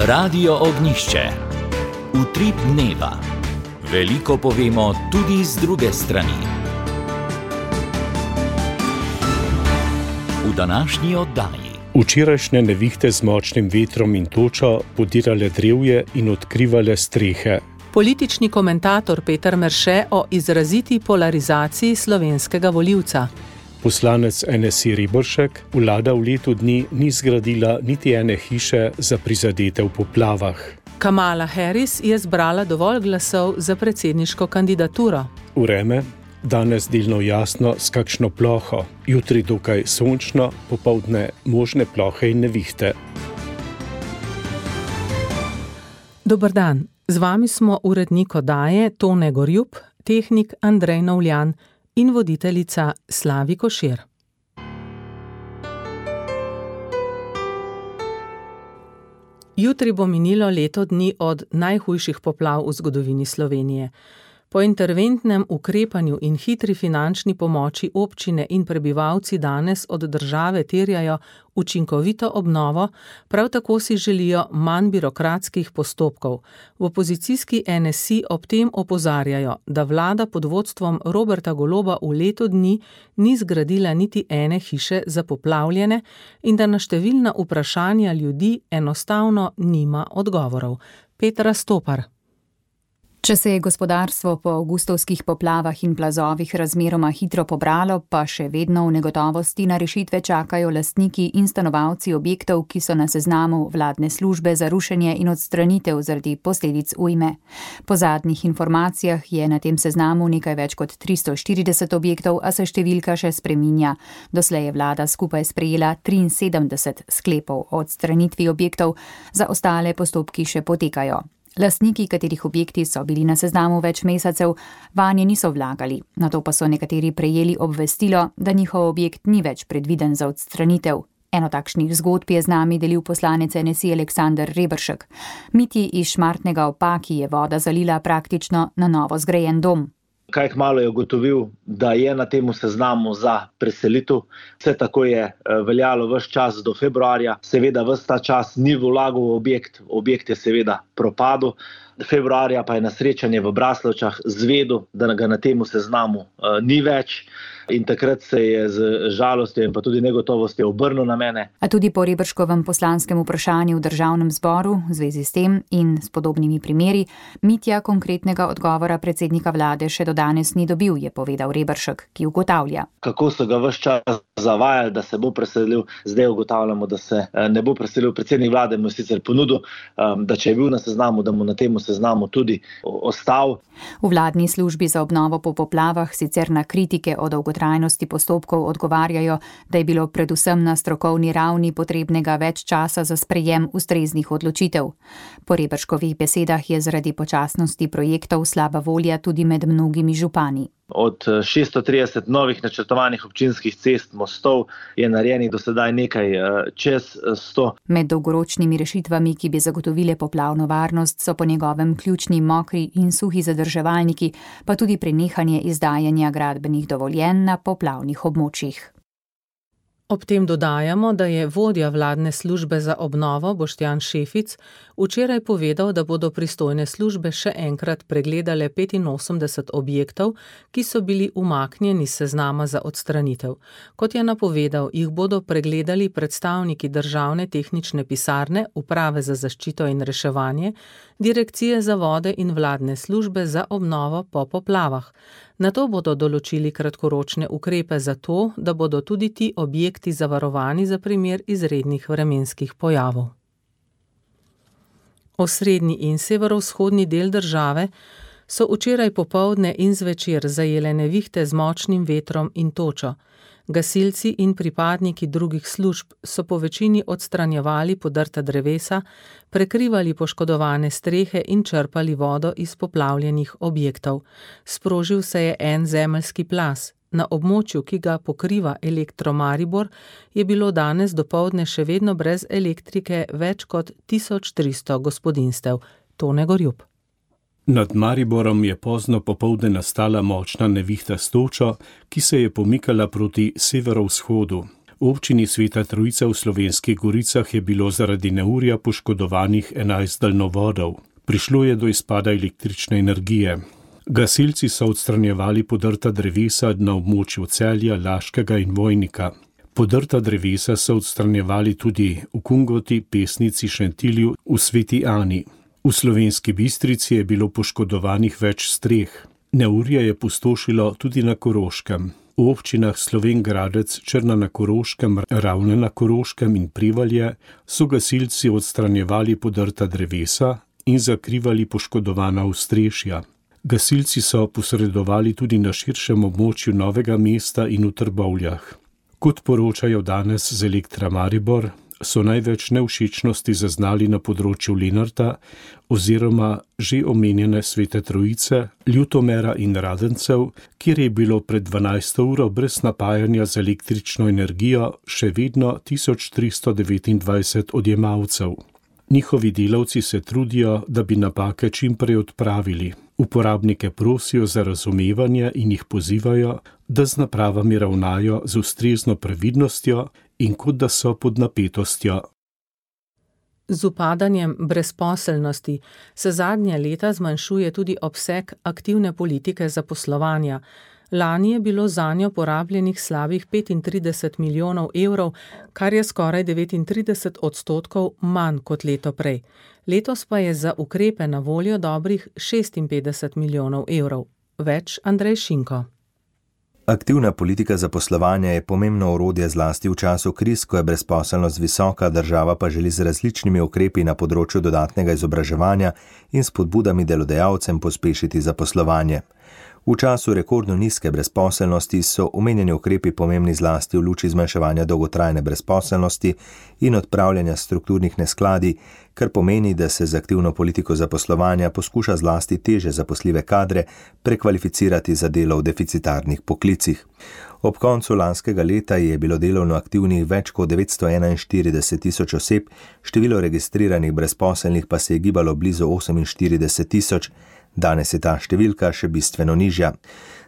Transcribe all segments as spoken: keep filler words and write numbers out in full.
Radio Ognjišče. Utrip dneva. Veliko povemo tudi z druge strani. V današnji oddaji. Včerajšnje nevihte z močnim vetrom in točo podirale drevje in odkrivale strehe. Politični komentator Peter Merše o izraziti polarizaciji slovenskega volivca. Poslanec en es i Reberšek, vlada v letu dni ni zgradila niti ene hiše za prizadete v poplavah. Kamala Harris je zbrala dovolj glasov za predsedniško kandidaturo. Vreme, danes delno jasno s kakšno ploho, jutri dokaj sončno, popoldne možne plohe in nevihte. Dober dan, z vami smo urednik oddaje Tone Gorjup, tehnik Andrej Novljan in voditeljica Slavi Košir. Jutri bo minilo leto dni od najhujših poplav v zgodovini Slovenije. Po interventnem ukrepanju in hitri finančni pomoči občine in prebivalci danes od države terjajo učinkovito obnovo, prav tako si želijo manj birokratskih postopkov. V opozicijski en es i ob tem opozarjajo, da vlada pod vodstvom Roberta Goloba v letu dni ni zgradila niti ene hiše za poplavljene in da na številna vprašanja ljudi enostavno nima odgovorov. Petra Stopar. Če se je gospodarstvo po avgustovskih poplavah in plazovih razmeroma hitro pobralo, pa še vedno v negotovosti na rešitve čakajo lastniki in stanovalci objektov, ki so na seznamu vladne službe za rušenje in odstranitev zaradi posledic ujme. Po zadnjih informacijah je na tem seznamu nekaj več kot tristo štirideset objektov, a se številka še spreminja. Doslej je vlada skupaj sprejela triinsedemdeset sklepov o odstranitvi objektov, za ostale postopki še potekajo. Lastniki, katerih objekti so bili na seznamu več mesecev, vanje niso vlagali, nato pa so nekateri prejeli obvestilo, da njihov objekt ni več predviden za odstranitev. Eno takšnih zgodb je z nami delil poslanec en es i Aleksander Reberšek. Mitji iz Šmartnega ob Paki je voda zalila praktično na novo zgrajen dom. Kaj kmalu je ugotovil, da je na temu seznamu za preselitev. Vse tako je veljalo ves čas do februarja. Seveda ves ta čas ni vlagal v objekt, objekt je seveda propadel. Februarja pa je na srečanje v Braslovčah zvedel, da ga na temu seznamu uh, ni več. In takrat se je z žalostjo in pa tudi negotovostjo obrnil na mene. A tudi po Reberškovem poslanskem vprašanju v državnem zboru v zvezi s tem in s podobnimi primeri, Mitja konkretnega odgovora predsednika vlade še do danes ni dobil, je povedal Reberšek, ki ugotavlja. Kako so ga ves čas zavajali, da se bo preselil, zdaj ugotavljamo, da se ne bo preselil. Predsednik vlade mu je sicer ponudil, da če je bil na seznamu, da mu na temu seznamu tudi ostal. V vladni službi za obnovo po poplavah sicer na kritike o dolgotrajnosti postopkov odgovarjajo, da je bilo predvsem na strokovni ravni potrebnega več časa za sprejem ustreznih odločitev. Po Reberškovih besedah je zaradi počasnosti projektov slaba volja tudi med mnogimi župani. Od šeststo trideset novih načrtovanih občinskih cest, mostov je narejenih do sedaj nekaj čez sto. Med dolgoročnimi rešitvami, ki bi zagotovile poplavno varnost, so po njegovem ključni mokri in suhi zadrževalniki, pa tudi prenehanje izdajanja gradbenih dovoljenj na poplavnih območjih. Ob tem dodajamo, da je vodja vladne službe za obnovo Boštjan Šefic včeraj povedal, da bodo pristojne službe še enkrat pregledale petinosemdeset objektov, ki so bili umaknjeni s seznama za odstranitev. Kot je napovedal, jih bodo pregledali predstavniki državne tehnične pisarne, uprave za zaščito in reševanje, direkcije za vode in vladne službe za obnovo po poplavah. Nato bodo določili kratkoročne ukrepe za to, da bodo tudi ti objekti zavarovani za primer izrednih vremenskih pojavov. Osrednji in severovzhodni del države so včeraj popoldne in zvečer zajele nevihte z močnim vetrom in točo. Gasilci in pripadniki drugih služb so po večini odstranjevali podrta drevesa, prekrivali poškodovane strehe in črpali vodo iz poplavljenih objektov. Sprožil se je en zemeljski plaz. Na območju, ki ga pokriva Elektro Maribor, je bilo danes dopoldne še vedno brez elektrike več kot tisoč tristo gospodinjstev. Tone Gorjup. Nad Mariborom je pozno popoldne nastala močna nevihta s točo, ki se je pomikala proti severovzhodu. V občini Sveta Trojica v Slovenskih Goricah je bilo zaradi neurja poškodovanih enajst daljnovodov. Prišlo je do izpada električne energije. Gasilci so odstranjevali podrta drevesa na območju Celja, Laškega in Vojnika. Podrta drevesa so odstranjevali tudi v Kungoti, Pesnici, Šentilju, v Sveti Ani. V Slovenski Bistrici je bilo poškodovanih več streh. Neurje je pustošilo tudi na Koroškem. V občinah Slovenj Gradec, Črna na Koroškem, Ravne na Koroškem in Prevalje so gasilci odstranjevali podrta drevesa in zakrivali poškodovana ostrešja. Gasilci so posredovali tudi na širšem območju Novega mesta in v Trbovljah. Kot poročajo danes z Elektra Maribor, so največ nevšečnosti zaznali na področju Lenarta oziroma že omenjene Svete Trojice, Ljutomera in Radencev, kjer je bilo pred dvanajsto uro brez napajanja z električno energijo še vedno tisoč tristo devetindvajset odjemalcev. Njihovi delavci se trudijo, da bi napake čim prej odpravili. Uporabnike prosijo za razumevanje in jih pozivajo, da z napravami ravnajo z ustrezno previdnostjo in kot da so pod napetostjo. Z upadanjem brezposelnosti se zadnja leta zmanjšuje tudi obseg aktivne politike zaposlovanja. Lani je bilo zanjo porabljenih slabih petintrideset milijonov evrov, kar je skoraj devetintrideset odstotkov manj kot leto prej. Letos pa je za ukrepe na voljo dobrih šestinpetdeset milijonov evrov. Več Andrej Šinko. Aktivna politika zaposlovanja je pomembno orodje zlasti v času kriz, ko je brezposelnost visoka, država pa želi z različnimi ukrepi na področju dodatnega izobraževanja in spodbudami delodajalcem pospešiti zaposlovanje. V času rekordno nizke brezposelnosti so omenjeni ukrepi pomembni zlasti v luči zmanjševanja dolgotrajne brezposelnosti in odpravljanja strukturnih neskladij, kar pomeni, da se z aktivno politiko zaposlovanja poskuša zlasti teže zaposljive kadre prekvalificirati za delo v deficitarnih poklicih. Ob koncu lanskega leta je bilo delovno aktivnih več kot devetsto enainštirideset tisoč oseb, število registriranih brezposelnih pa se je gibalo blizu oseminštirideset tisoč. Danes je ta številka še bistveno nižja.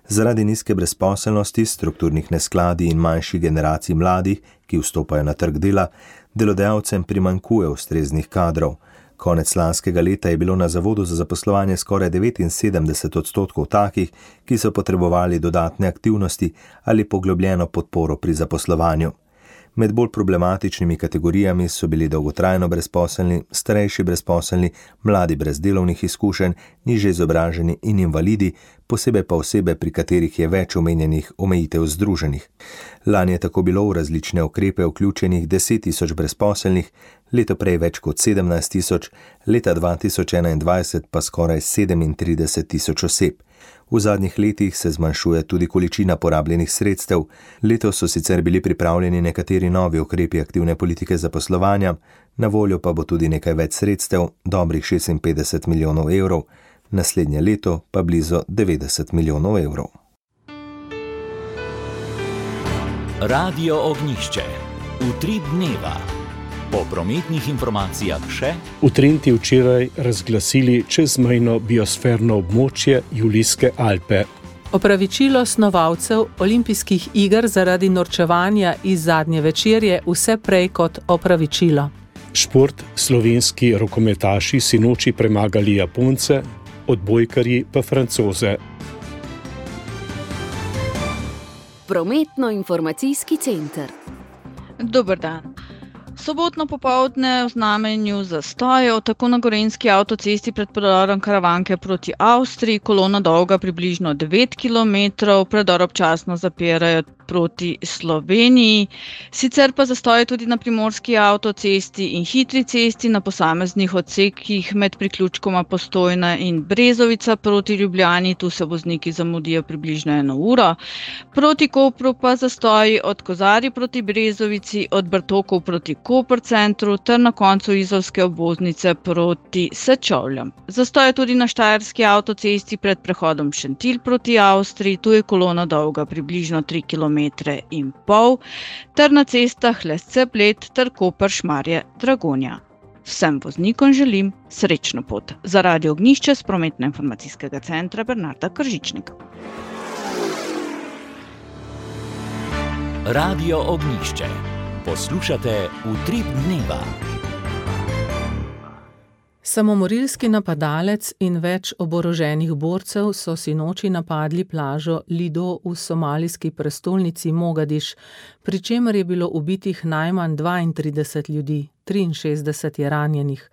Zaradi nizke brezposelnosti, strukturnih neskladij in manjših generacij mladih, ki vstopajo na trg dela, delodajalcem primanjkuje ustreznih kadrov. Konec lanskega leta je bilo na Zavodu za zaposlovanje skoraj devetinsedemdeset odstotkov takih, ki so potrebovali dodatne aktivnosti ali poglobljeno podporo pri zaposlovanju. Med bolj problematičnimi kategorijami so bili dolgotrajno brezposelni, starejši brezposelni, mladi brez delovnih izkušenj, nižje izobraženi in invalidi, posebej pa osebe, pri katerih je več omenjenih omejitev združenih. Lani je tako bilo v različne ukrepe vključenih deset tisoč brezposelnih, leto prej več kot sedemnajst tisoč, leta dva tisoč enaindvajset pa skoraj sedemintrideset tisoč oseb. V zadnjih letih se zmanjšuje tudi količina porabljenih sredstev. Letos so sicer bili pripravljeni nekateri novi ukrepi aktivne politike zaposlovanja, na voljo pa bo tudi nekaj več sredstev, dobrih šestinpetdeset milijonov evrov, naslednje leto pa blizu devetdeset milijonov evrov. Radio Ognjišče. Utrip dneva. Po prometnih informacijah še. V Trenti včeraj razglasili čezmejno biosferno območje Julijske Alpe. Opravičilo snovalcev olimpijskih iger zaradi norčevanja iz zadnje večerje vse prej kot opravičilo. Šport, slovenski rokometaši sinoči premagali Japonce, odbojkarji pa Francoze. Prometno-informacijski center. Dober dan. Sobotno popoldne v znamenju zastojev, tako na gorenjski avtocesti pred predorom Karavanke proti Avstriji, kolona dolga približno devet kilometrov, predor občasno zapirajo proti Sloveniji. Sicer pa zastoje tudi na primorski avtocesti in hitri cesti na posameznih odsekih med priključkoma Postojna in Brezovica proti Ljubljani, tu se vozniki zamudijo približno eno uro. Proti Kopru pa zastoji od Kozarij proti Brezovici, od Bartokov proti Koper centru ter na koncu izolske obvoznice proti Sečovljam. Zastoje tudi na štajerski avtocesti pred prehodom Šentilj proti Avstriji, tu je kolona dolga približno tri kilometre in pol, ter na cestah Lesce-Bled ter Koper-Šmarje-Dragonja. Vsem voznikom želim srečno pot. Za Radio Ognjišče s prometno-informacijskega centra Bernarda Kržičnik. Radio Ognjišče. Poslušate Utrip dneva. Samomorilski napadalec in več oboroženih borcev so sinoči napadli plažo Lido v somalijski prestolnici Mogadiš, pri čemer je bilo ubitih najmanj dvaintrideset ljudi, triinšestdeset je ranjenih.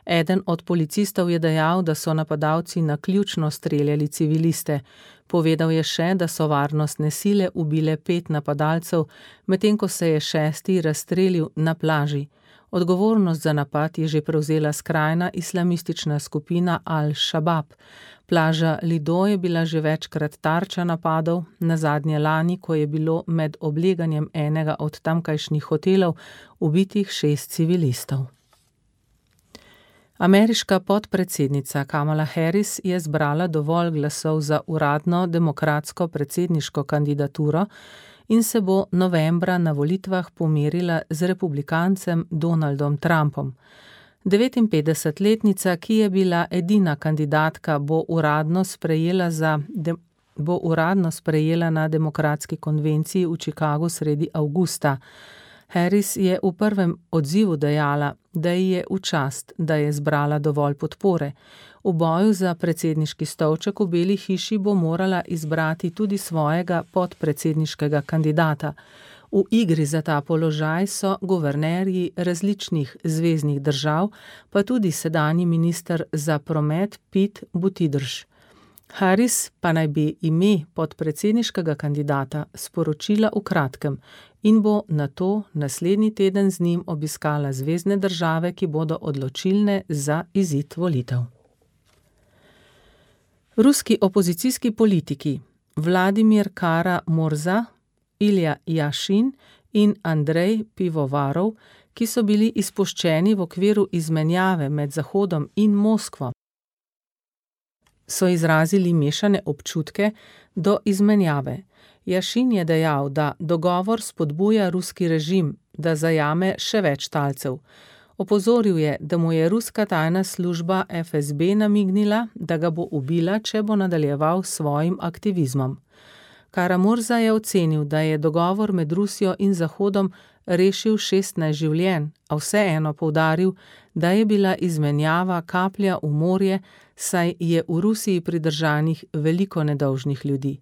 Eden od policistov je dejal, da so napadalci naključno streljali civiliste. Povedal je še, da so varnostne sile ubile pet napadalcev, medtem ko se je šesti razstrelil na plaži. Odgovornost za napad je že prevzela skrajna islamistična skupina Al-Shabaab. Plaža Lido je bila že večkrat tarča napadov, nazadnje lani, ko je bilo med obleganjem enega od tamkajšnjih hotelov ubitih šest civilistov. Ameriška podpredsednica Kamala Harris je zbrala dovolj glasov za uradno demokratsko predsedniško kandidaturo in se bo novembra na volitvah pomerila z republikancem Donaldom Trumpom. devetinpetdesetletnica, ki je bila edina kandidatka, bo uradno sprejela, za, de, bo uradno sprejela na demokratski konvenciji v Chicagu sredi avgusta. Harris je v prvem odzivu dejala, da ji je v čast, da je zbrala dovolj podpore. V boju za predsedniški stolček v Beli hiši bo morala izbrati tudi svojega podpredsedniškega kandidata. V igri za ta položaj so guvernerji različnih zveznih držav, pa tudi sedanji minister za promet Pete Buttigieg. Harris pa naj bi ime podpredsedniškega kandidata sporočila v kratkem in bo nato naslednji teden z njim obiskala zvezne države, ki bodo odločilne za izid volitev. Ruski opozicijski politiki Vladimir Kara-Murza, Ilja Jašin in Andrej Pivovarov, ki so bili izpuščeni v okviru izmenjave med Zahodom in Moskvo, so izrazili mešane občutke do izmenjave. Jašin je dejal, da dogovor spodbuja ruski režim, da zajame še več talcev. Opozoril je, da mu je ruska tajna služba F S B namignila, da ga bo ubila, če bo nadaljeval s svojim aktivizmom. Kara-Murza je ocenil, da je dogovor med Rusijo in Zahodom rešil šestnajst življenj, a vseeno poudaril, da je bila izmenjava kaplja v morje, saj je v Rusiji pridržanih veliko nedolžnih ljudi.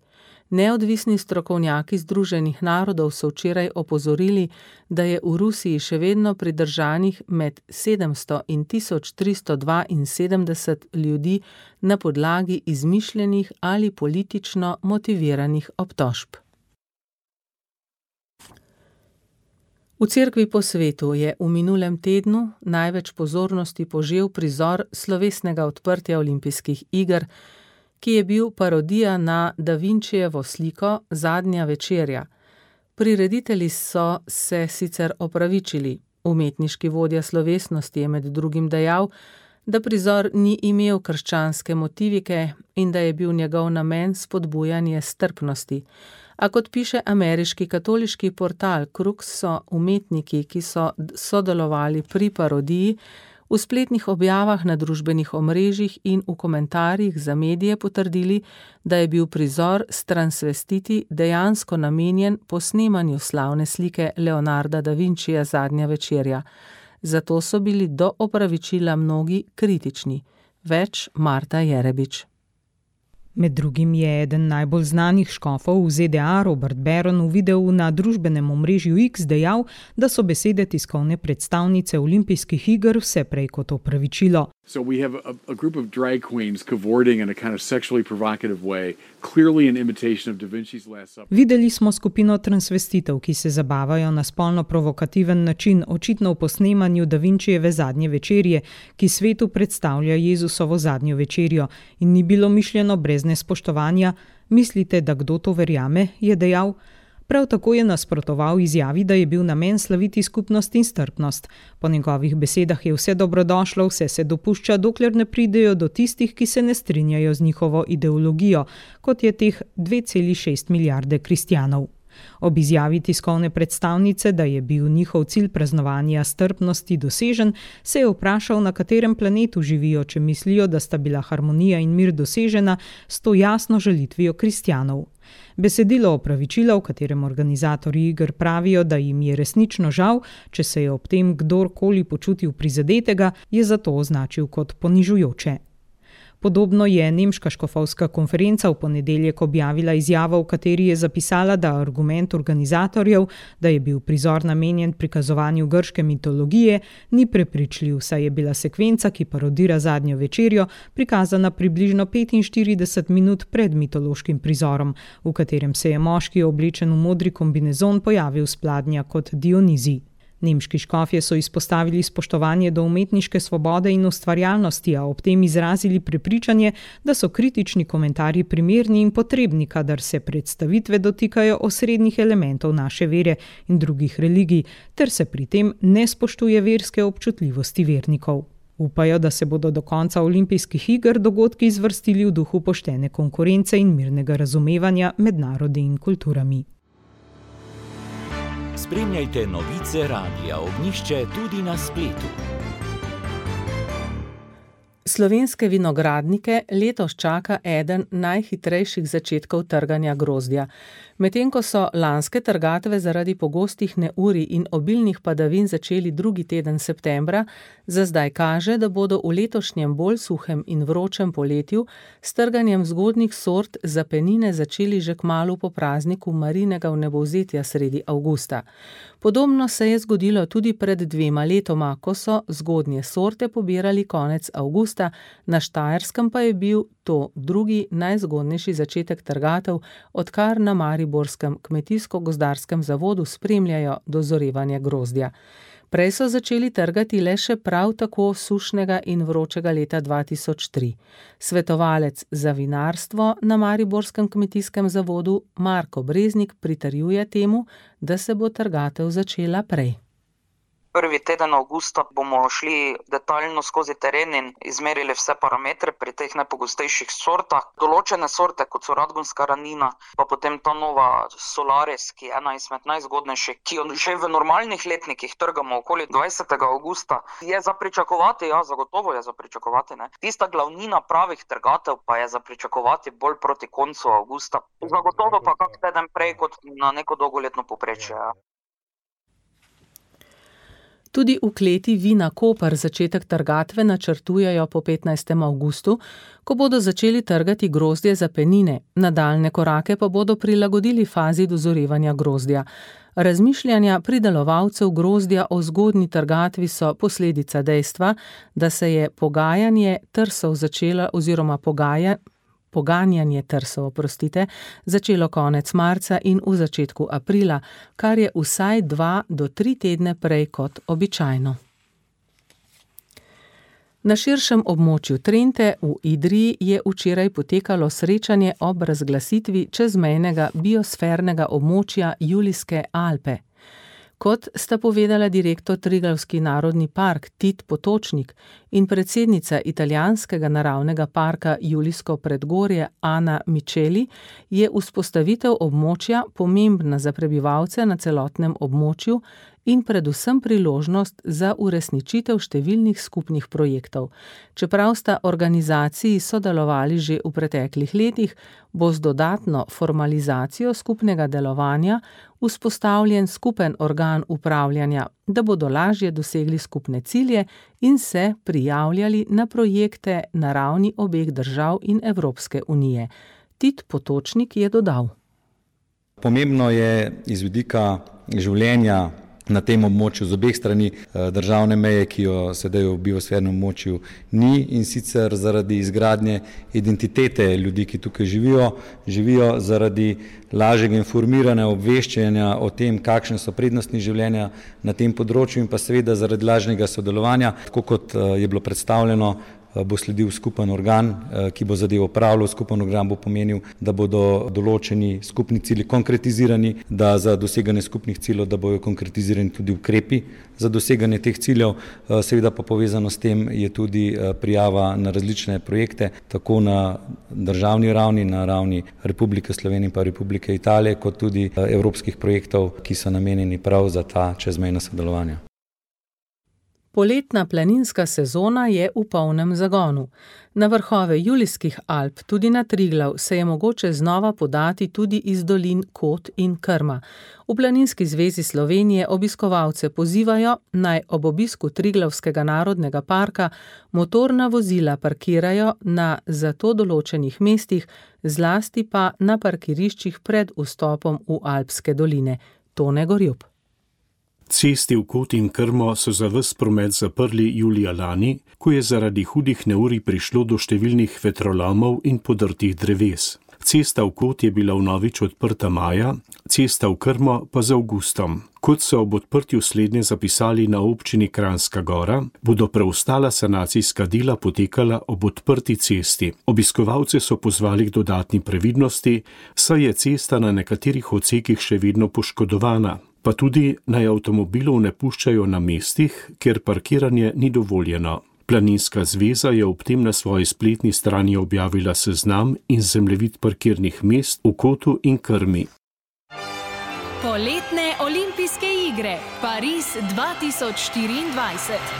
Neodvisni strokovnjaki Združenih narodov so včeraj opozorili, da je v Rusiji še vedno pridržanih med sedemsto in tisoč tristo dvainsedemdeset ljudi na podlagi izmišljenih ali politično motiviranih obtožb. V cerkvi po svetu je v minulem tednu največ pozornosti požel prizor slovesnega odprtja olimpijskih iger, ki je bil parodija na Da Vincijevo sliko Zadnja večerja. Prireditelji so se sicer opravičili. Umetniški vodja slovesnosti je med drugim dejal, da prizor ni imel krščanske motivike in da je bil njegov namen spodbujanje strpnosti. A kot piše ameriški katoliški portal Crux, so umetniki, ki so sodelovali pri parodiji, v spletnih objavah na družbenih omrežjih in v komentarjih za medije potrdili, da je bil prizor s transvestiti dejansko namenjen posnemanju slavne slike Leonarda da Vincija Zadnja večerja. Zato so bili do opravičila mnogi kritični. Več Marta Jerebič. Med drugim je eden najbolj znanih škofov v Z D A, Robert Barron, v videu na družbenem omrežju X dejal, da so besede tiskovne predstavnice olimpijskih iger vse prej kot opravičilo. So we have a, a group of drag queens cavorting in a kind of sexually provocative way, clearly an imitation of Da Vinci's Last Supper. Videli smo skupino transvestitev, ki se zabavajo na spolno provokativen način, očitno v posnemanju Da Vincijeve Zadnje večerje, ki svetu predstavlja Jezusovo zadnjo večerjo in ni bilo mišljeno brez nespoštovanja. Mislite, da kdo to verjame, je dejal. Prav tako je nasprotoval izjavi, da je bil namen slaviti skupnost in strpnost. Po njegovih besedah je vse dobrodošlo, vse se dopušča, dokler ne pridejo do tistih, ki se ne strinjajo z njihovo ideologijo, kot je teh dve celi šest milijarde kristjanov. Ob izjavi tiskovne predstavnice, da je bil njihov cilj praznovanja strpnosti dosežen, se je vprašal, na katerem planetu živijo, če mislijo, da sta bila harmonija in mir dosežena s to jasno žalitvijo kristjanov. Besedilo opravičila, v katerem organizatorji iger pravijo, da jim je resnično žal, če se je ob tem kdorkoli počutil prizadetega, je zato označil kot ponižujoče. Podobno je nemška škofovska konferenca v ponedeljek objavila izjavo, v kateri je zapisala, da argument organizatorjev, da je bil prizor namenjen prikazovanju grške mitologije, ni prepričljiv, saj je bila sekvenca, ki parodira zadnjo večerjo, prikazana približno petinštirideset minut pred mitološkim prizorom, v katerem se je moški oblečen v modri kombinezon pojavil s pladnja kot Dionizij. Nemški škofje so izpostavili spoštovanje do umetniške svobode in ustvarjalnosti, a ob tem izrazili prepričanje, da so kritični komentarji primerni in potrebni, kadar se predstavitve dotikajo osrednjih elementov naše vere in drugih religij, ter se pri tem ne spoštuje verske občutljivosti vernikov. Upajo, da se bodo do konca olimpijskih iger dogodki izvrstili v duhu poštene konkurence in mirnega razumevanja med narodi in kulturami. Spremljajte novice Radia Ognjišče tudi na spletu. Slovenske vinogradnike letos čaka eden najhitrejših začetkov trganja grozdja. Medtem ko so lanske trgatve zaradi pogostih neurij in obilnih padavin začeli drugi teden septembra, za zdaj kaže, da bodo v letošnjem bolj suhem in vročem poletju s trganjem zgodnjih sort za penine začeli že kmalu po prazniku Marinega vnebovzetja sredi avgusta. Podobno se je zgodilo tudi pred dvema letoma, ko so zgodnje sorte pobirali konec avgusta, na Štajerskem pa je bil to drugi najzgodnejši začetek trgatev, odkar na mariborskem kmetijsko-gozdarskem zavodu spremljajo dozorevanje grozdja. Prej so začeli trgati le še prav tako sušnega in vročega leta dva tisoč tri. Svetovalec za vinarstvo na mariborskem kmetijskem zavodu Marko Breznik pritrjuje temu, da se bo trgatev začela prej. Prvi teden avgusta bomo šli detaljno skozi teren in izmerili vse parametre pri teh najpogostejših sortah. Določene sorte, kot so radgonska ranina, pa potem ta nova Solaris, ki je ena izmed najzgodnejših, ki jo že v normalnih letnikih trgamo okoli dvajsetega avgusta, je za pričakovati, ja, zagotovo je za pričakovati. Ne? Tista glavnina pravih trgatev pa je za pričakovati bolj proti koncu avgusta. Zagotovo pa kak teden prej kot na neko dolgoletno povprečje. Ja. Tudi v kleti Vina Koper začetek trgatve načrtujejo po petnajstem avgustu, ko bodo začeli trgati grozdje za penine, nadaljne korake pa bodo prilagodili fazi dozorevanja grozdja. Razmišljanja pridelovalcev grozdja o zgodnji trgatvi so posledica dejstva, da se je pogajanje trsov začelo oziroma pogaja, poganjanje trsov, oprostite, začelo konec marca in v začetku aprila, kar je vsaj dva do tri tedne prej kot običajno. Na širšem območju Trente v Idriji je včeraj potekalo srečanje ob razglasitvi čezmejnega biosfernega območja Julijske Alpe. Kot sta povedala direktor Triglavski narodni park Tit Potočnik in predsednica italijanskega naravnega parka Julijsko predgorje Ana Micheli, je vzpostavitev območja pomembna za prebivalce na celotnem območju in predvsem priložnost za uresničitev številnih skupnih projektov. Čeprav sta organizaciji sodelovali že v preteklih letih, bo z dodatno formalizacijo skupnega delovanja vzpostavljen skupen organ upravljanja, da bodo lažje dosegli skupne cilje in se prijavljali na projekte na ravni obeh držav in Evropske unije. Tit Potočnik je dodal. Pomembno je iz vidika življenja na tem območju z obeh strani državne meje, ki jo sedaj v biosfernem območju ni, in sicer zaradi izgradnje identitete ljudi, ki tukaj živijo, živijo zaradi lažjega informiranja, obveščanja o tem, kakšne so prednosti življenja na tem področju in pa seveda zaradi lažnega sodelovanja, tako kot je bilo predstavljeno, bo sledil skupen organ, ki bo zadevo opravljal. Skupen organ bo pomenil, da bodo določeni skupni cilji konkretizirani, da za doseganje skupnih ciljev, da bojo konkretizirani tudi ukrepi za doseganje teh ciljev. Seveda pa povezano s tem je tudi prijava na različne projekte, tako na državni ravni, na ravni Republike Slovenije in pa Republike Italije, kot tudi evropskih projektov, ki so namenjeni prav za ta čezmejna sodelovanja. Poletna planinska sezona je v polnem zagonu. Na vrhove Julijskih Alp, tudi na Triglav, se je mogoče znova podati tudi iz dolin Kot in Krma. V Planinski zvezi Slovenije obiskovalce pozivajo, naj ob obisku Triglavskega narodnega parka motorna vozila parkirajo na za to določenih mestih, zlasti pa na parkiriščih pred vstopom v Alpske doline. Tone Gorjup. Cesti v Kot in Krmo so za ves promet zaprli julija lani, ko je zaradi hudih neurij prišlo do številnih vetrolomov in podrtih dreves. Cesta v Kot je bila vnovič odprta maja, cesta v Krmo pa z avgustom. Kot so ob odprtju slednje zapisali na občini Kranjska Gora, bodo preostala sanacijska dela potekala ob odprti cesti. Obiskovalce so pozvali k dodatni previdnosti, saj je cesta na nekaterih odsekih še vedno poškodovana, pa tudi naj avtomobilov ne puščajo na mestih, kjer parkiranje ni dovoljeno. Planinska zveza je ob tem na svoji spletni strani objavila seznam in zemljevid parkirnih mest v Kotu in Krmi. Poletne olimpijske igre Pariz dva tisoč štiriindvajset.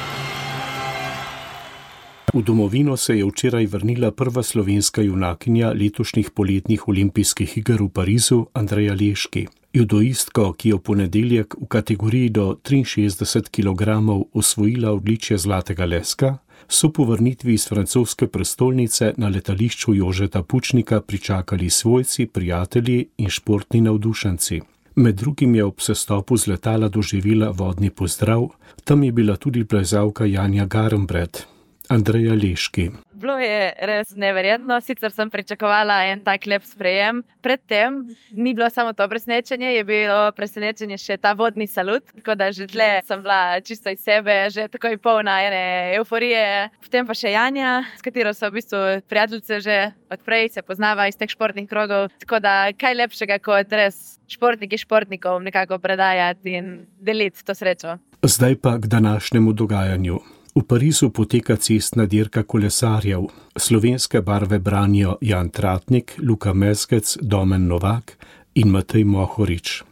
V domovino se je včeraj vrnila prva slovenska junakinja letošnjih poletnih olimpijskih iger v Parizu, Andreja Leški. Judoistko, ki je v ponedeljek v kategoriji do triinšestdeset kilogramov osvojila odličje zlatega leska, so po vrnitvi iz francoske prestolnice na letališču Jožeta Pučnika pričakali svojci, prijatelji in športni navdušenci. Med drugim je ob sestopu z letala doživela vodni pozdrav, tam je bila tudi plezalka Janja Garnbret. Andreja Leški. Bilo je res neverjetno, sicer sem pričakovala en tak lep sprejem. Predtem ni bilo samo to presenečenje, je bilo presenečenje še ta vodni salut, tako da že tle sem bila čisto iz sebe, že takoj polna ene euforije. Potem pa še Janja, s katero so v bistvu prijateljice že odprej, se poznava iz teh športnih krogov, tako da kaj lepšega kot res športniki športnikov nekako predajati in deliti to srečo. Zdaj pa k današnjemu dogajanju. V Parizu poteka cestna dirka kolesarjev. Slovenske barve branijo Jan Tratnik, Luka Mezgec, Domen Novak in Matej Mohorič.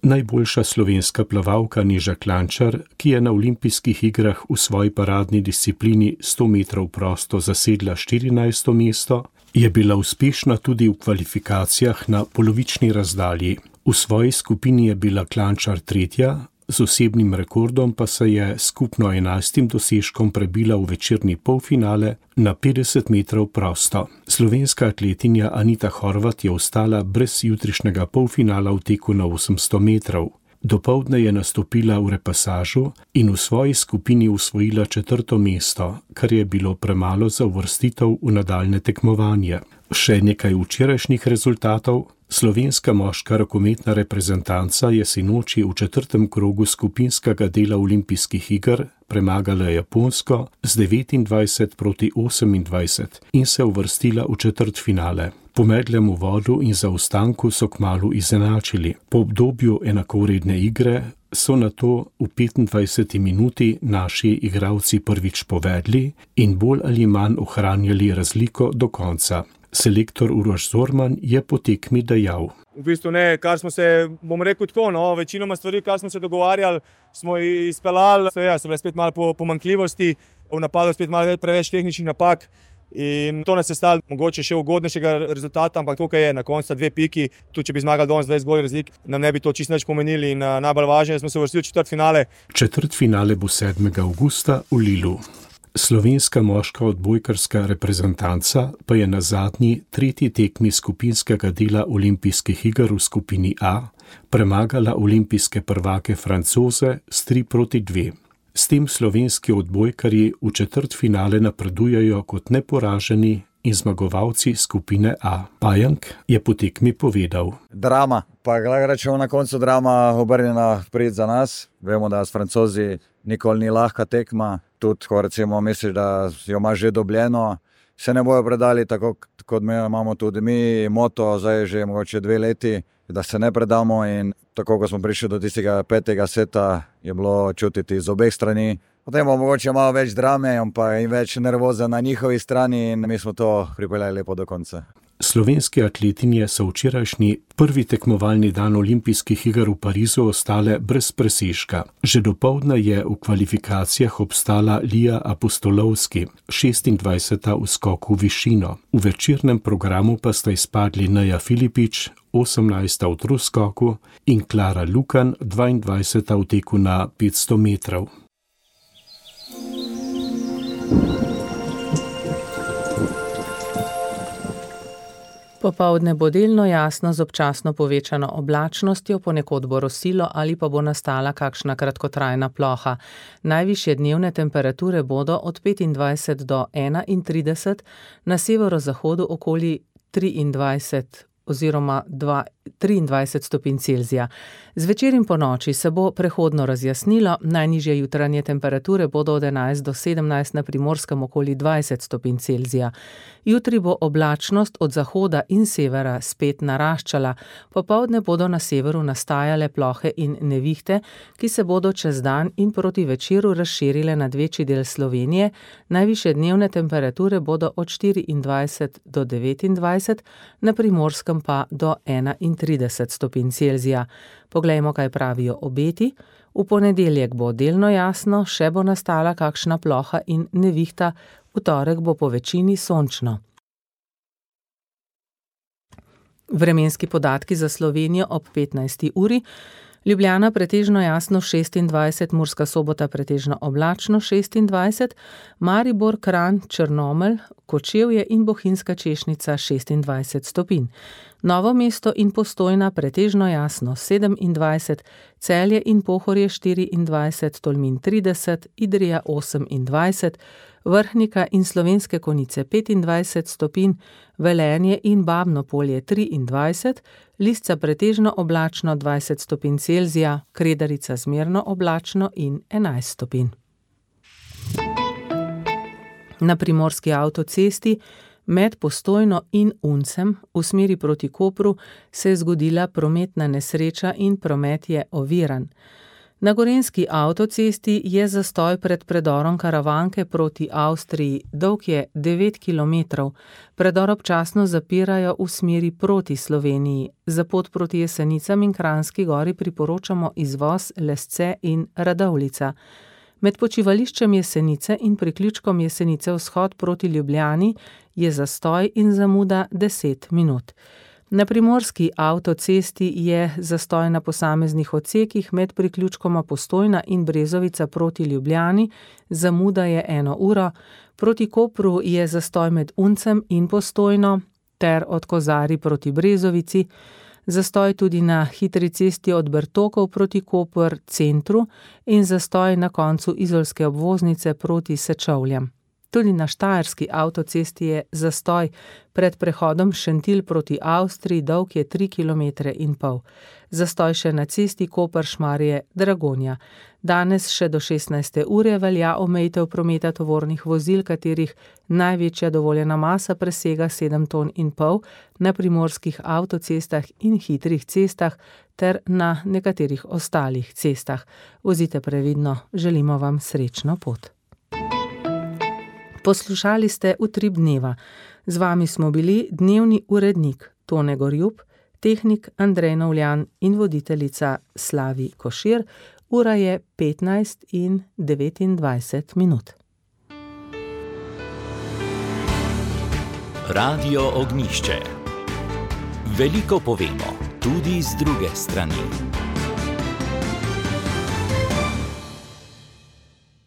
Najboljša slovenska plavalka Neža Klančar, ki je na olimpijskih igrah v svoji paradni disciplini sto metrov prosto zasedla štirinajsto mesto, je bila uspešna tudi v kvalifikacijah na polovični razdalji. V svoji skupini je bila Klančar tretja, z osebnim rekordom pa se je skupno enajstim dosežkom prebila v večerni polfinale na petdeset metrov prosto. Slovenska atletinja Anita Horvat je ostala brez jutrišnjega polfinala v teku na osemsto metrov. Dopoldne je nastopila v repasažu in v svoji skupini osvojila četrto mesto, kar je bilo premalo za uvrstitev v nadaljne tekmovanje. Še nekaj včerajšnjih rezultatov. Slovenska moška rokometna reprezentanca je sinoči v četrtem krogu skupinskega dela olimpijskih iger premagala Japonsko z devetindvajset proti osemindvajset in se uvrstila v četrtfinale. Po medlem uvodu in zaostanku so kmalu izenačili. Po obdobju enakovredne igre so nato v petindvajseti minuti naši igralci prvič povedli in bolj ali manj ohranjali razliko do konca. Selektor Uroš Zorman je po tekmi dejal. V bistvu ne, kar smo se, bom rekel tako, no, večinoma stvari, kar smo se dogovarjali, smo izpeljali. Ja, so bile spet malo pomanjkljivosti, v napadu spet malo preveč tehničnih napak in to nas je stalo mogoče še ugodnejšega rezultata, ampak tukaj je na koncu dve piki, tudi če bi zmagali danes dvajset golov razlik, nam ne bi to čisto nič pomenili in najbolj važno je, da smo se uvrstili v četrtfinale. Četrtfinale bo sedmega avgusta v Lilu. Slovenska moška odbojkarska reprezentanca pa je na zadnji tretji tekmi skupinskega dela olimpijskih iger v skupini A premagala olimpijske prvake Francoze s tri proti dve. S tem slovenski odbojkarji v četrtfinale napredujejo kot neporaženi in zmagovalci skupine A. Pajank je po tekmi povedal. Drama, pa gledaj rečemo na koncu drama obrnjena prid za nas. Vemo, da s Francozi nikoli ni lahka tekma. Tudi, ko recimo misliš, da jo imaš že dobljeno, se ne bojo predali, tako kot mi imamo tudi mi moto, zdaj že mogoče dve leti, da se ne predamo in tako, ko smo prišli do tistega petega seta, je bilo čutiti z obeh strani. Potem bo mogoče malo več drame, pa in več nervoza na njihovi strani in mi smo to pripeljali lepo do konca. Slovenske atletinje so včerajšnji prvi tekmovalni dan olimpijskih iger v Parizu ostale brez presežka. Že dopoldne je v kvalifikacijah obstala Lija Apostolovski, šestindvajseta v skoku v višino. V večernem programu pa sta izpadli Neja Filipič, osemnajsta v troskoku, in Klara Lukan, dvaindvajseta v teku na petsto metrov. Popoldne bo delno jasno z občasno povečano oblačnostjo, ponekod bo rosilo ali pa bo nastala kakšna kratkotrajna ploha. Najvišje dnevne temperature bodo od petindvajset do enaintrideset, na severozahodu okoli triindvajset oziroma triindvajset stopinj Celzija. Zvečer in ponoči se bo prehodno razjasnilo, najnižje jutranje temperature bodo od enajst do sedemnajst, na Primorskem okoli dvajset stopinj Celzija. Jutri bo oblačnost od zahoda in severa spet naraščala, popoldne bodo na severu nastajale plohe in nevihte, ki se bodo čez dan in proti večeru razširile nad večji del Slovenije, najvišje dnevne temperature bodo od štiriindvajset do devetindvajset, na Primorskem pa do enaintrideset stopinj Celzija. Poglejmo, kaj pravijo obeti. V ponedeljek bo delno jasno, še bo nastala kakšna ploha in nevihta, v torek bo po večini sončno. Vremenski podatki za Slovenijo ob petnajsti uri. Ljubljana pretežno jasno šestindvajset, Murska Sobota pretežno oblačno šestindvajset, Maribor, Kranj, Črnomelj, Kočevje in Bohinjska Češnica šestindvajset stopinj. Novo mesto in Postojna pretežno jasno sedemindvajset, Celje in Pohorje štiriindvajset, Tolmin trideset, Idrija osemindvajset, Vrhnika in Slovenske Konjice petindvajset stopinj, Velenje in Babno Polje triindvajset, Lisca pretežno oblačno dvajset stopinj Celzija, Kredarica zmerno oblačno in enajst stopinj. Na primorski avtocesti med Postojno in Uncem v smeri proti Kopru se je zgodila prometna nesreča in promet je oviran. Na gorenjski avtocesti je zastoj pred predorom Karavanke proti Avstriji, dolg je devet kilometrov. Predor občasno zapirajo v smeri proti Sloveniji. Za pot proti Jesenicam in Kranjski Gori priporočamo izvoz Lesce in Radovljica. Med počivališčem Jesenice in priključkom Jesenice vzhod proti Ljubljani je zastoj in zamuda deset minut. Na primorski avtocesti je zastoj na posameznih odsekih med priključkoma Postojna in Brezovica proti Ljubljani, zamuda je eno uro, proti Kopru je zastoj med Uncem in Postojno ter od Kozarij proti Brezovici, zastoj tudi na hitri cesti od Bertokov proti Koper centru in zastoj na koncu izolske obvoznice proti Sečovljam. Tudi na štajerski avtocesti je zastoj pred prehodom Šentilj proti Avstriji, dolg je tri kilometre in pol. Zastoj še na cesti Koper-Šmarje-Dragonja. Danes še do šestnajste ure velja omejitev prometa tovornih vozil, katerih največja dovoljena masa presega sedem ton in pol, na primorskih avtocestah in hitrih cestah ter na nekaterih ostalih cestah. Vozite previdno, želimo vam srečno pot. Poslušali ste Utrip dneva. Z vami smo bili dnevni urednik Tone Gorjup, tehnik Andrej Novljan in voditeljica Slavi Košir. Ura je petnajst in devetindvajset minut. Radio Ognjišče. Veliko povemo, tudi z druge strani.